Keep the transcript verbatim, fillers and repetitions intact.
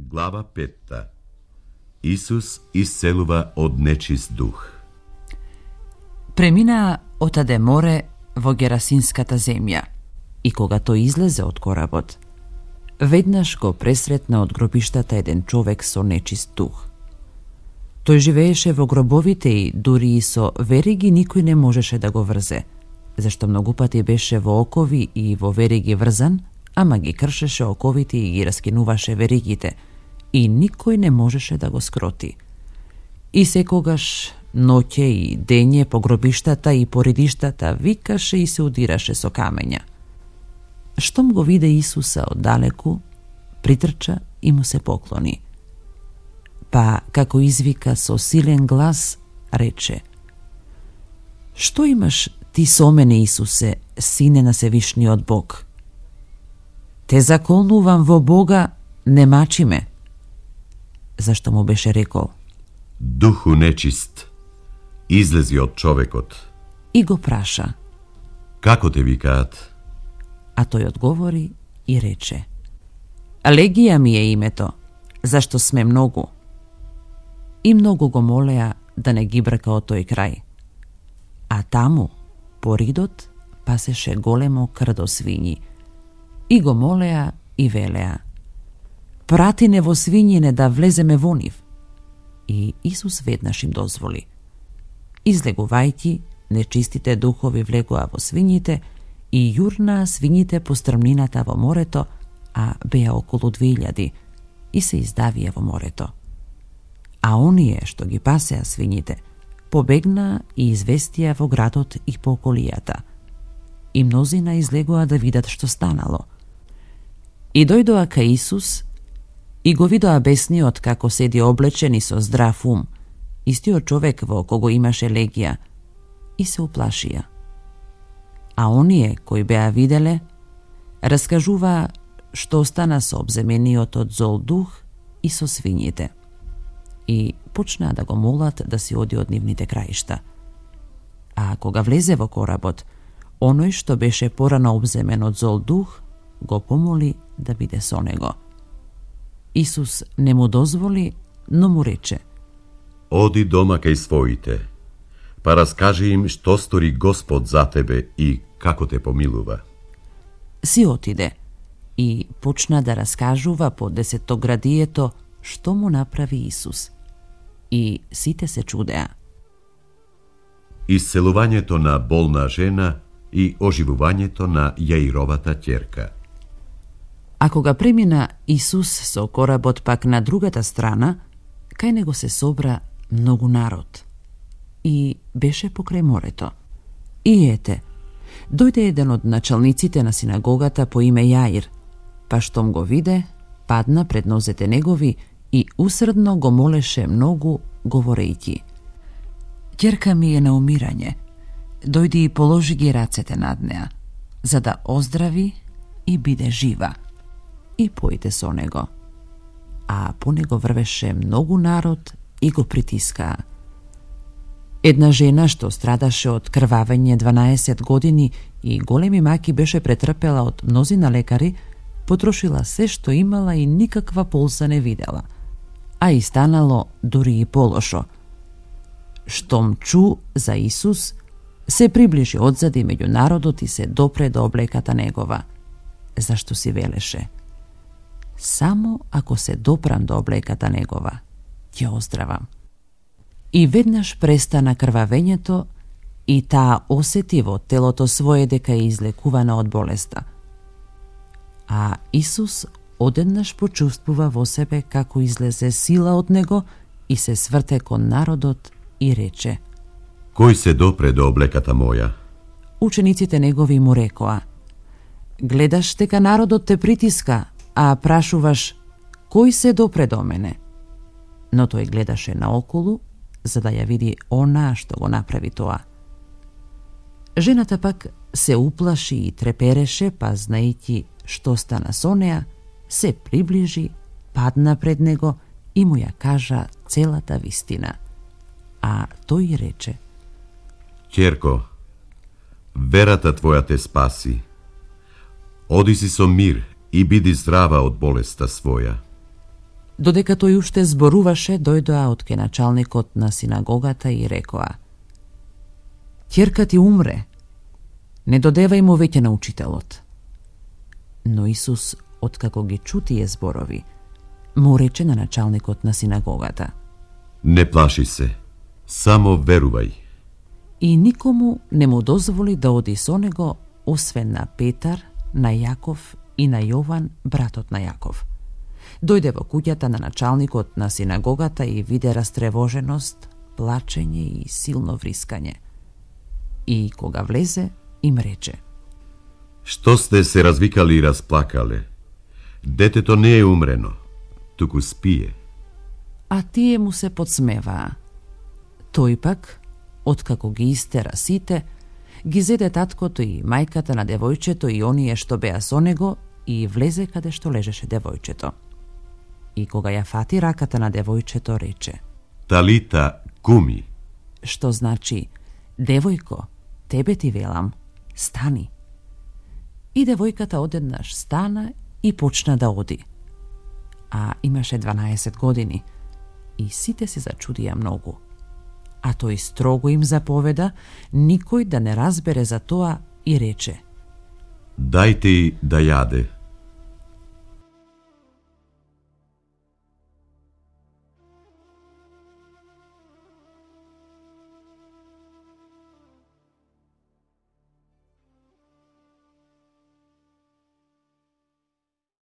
Глава петта. Исус исцелува од нечист дух. Преминаа отаде море во Герасинската земја и кога тој излезе од коработ, веднаш го пресретна од гробиштата еден човек со нечист дух. Тој живееше во гробовите и дури и со вериги никој не можеше да го врзе, зашто многу пати беше во окови и во вериги врзан, ама ги кршеше оковите и ги раскинуваше веригите, и никој не можеше да го скроти. И секогаш, ноќе и дење по гробиштата и по редиштата викаше и се удираше со камења. Штом го виде Исуса оддалеку, притрча и му се поклони. Па, како извика со силен глас, рече: "Што имаш ти со мене, Исусе, сине на Севишниот Бог? Те заколнувам во Бога, не мачи ме." Зашто му беше рекол: "Духу нечист, излези од човекот." И го праша: "Како те викаат?" А тој одговори и рече: "Легија ми е името, зашто сме многу." И многу го молеа да не ги брка од тој крај. А таму, по ридот, пасеше големо крдо свињи. И го молеа и велеа: "Прати не во свињине да влеземе во нив." И Исус веднаш им дозволи. Излегувајќи, нечистите духови влегоа во свињите и јурнаа свињите по стрмнината во морето, а беа околу две илјади, и се издавија во морето. А оние што ги пасеа свињите, побегнаа и известија во градот и по околијата. И мнозина излегоа да видат што станало. И дојдоа кај Исус и го видоа бесниот како седи облечен и со здрав ум, истиот човек во кого имаше легија, и се уплашија. А оние кои беа виделе, раскажуваа што остана со обземениот од зол дух и со свињите. И почнаа да го молат да си оди од нивните краишта. А кога влезе во коработ, оној што беше порано обземен од зол дух, го помоли да биде со него. Исус не му дозволи, но му рече: "Оди дома кај своите, па раскажи им што стори Господ за тебе и како те помилува." Си отиде и почна да раскажува по десетоградието што му направи Исус. И сите се чудеа. Исцелувањето на болна жена и оживувањето на Јаировата ќерка. А кога премина Исус со коработ пак на другата страна, кај него се собра многу народ. И беше покрај морето. И ете, дојде еден од началниците на синагогата по име Јаир, па штом го виде, падна пред нозете негови и усредно го молеше многу, говорејќи: "Ќерка ми е на умирање, дојди и положи ги рацете над неа, за да оздрави и биде жива." И појде со него. А по него врвеше многу народ и го притискаа. Една жена што страдаше од крвавење дванаесет години и големи маки беше претрпела од мнозина лекари, потрошила се што имала и никаква полза не видела, а и станало дури и полошо. Штом чу за Исус, се приближи одзади меѓу народот и се допре до облеката негова, зашто си велеше: "Само ако се допрам до облеката негова, ќе оздравам." И веднаш престана крвавењето и таа осети во телото свое дека е излекувана од болеста. А Исус одеднаш почувствува во себе како излезе сила од него и се сврте кон народот и рече: "Кој се допре до облеката моја?" Учениците негови му рекоа: "Гледаш дека народот те притиска, а прашуваш: кој се допре до мене?" Но тој гледаше наоколу, за да ја види она што го направи тоа. Жената пак се уплаши и трепереше, па знаејќи што стана со неа, се приближи, падна пред него и му ја кажа целата вистина. А тој рече: "Ќерко, верата твоја те спаси. Оди си со мир и биди здрава од болеста своја." Додека тој уште зборуваше, дојдоа од ке началникот на синагогата и рекоа: Ќерка ти умре, не додевај му веќе на учителот. Но Исус, откако ги чу тие зборови, му рече на началникот на синагогата: Не плаши се, само верувај. И никому не му дозволи да оди со него, освен на Петар, на Јаков и на Јован, братот на Јаков. Дојде во куќата на началникот на синагогата и виде растревоженост, плачење и силно врискање. И кога влезе, им рече: Што сте се развикали и расплакале? Детето не е умрено, туку спие. А тие му се подсмеваа. Тој пак, откако ги истера сите, ги зеде таткото и мајката на девојчето и оние што беа со него и влезе каде што лежеше девојчето. И кога ја фати раката на девојчето, рече: Талита куми, што значи: Девојко, тебе ти велам, стани. И девојката одеднаш стана и почна да оди. А имаше дванаесет години и сите се зачудија многу. А тој строго им заповеда никој да не разбере за тоа и рече: Дајте и да јаде.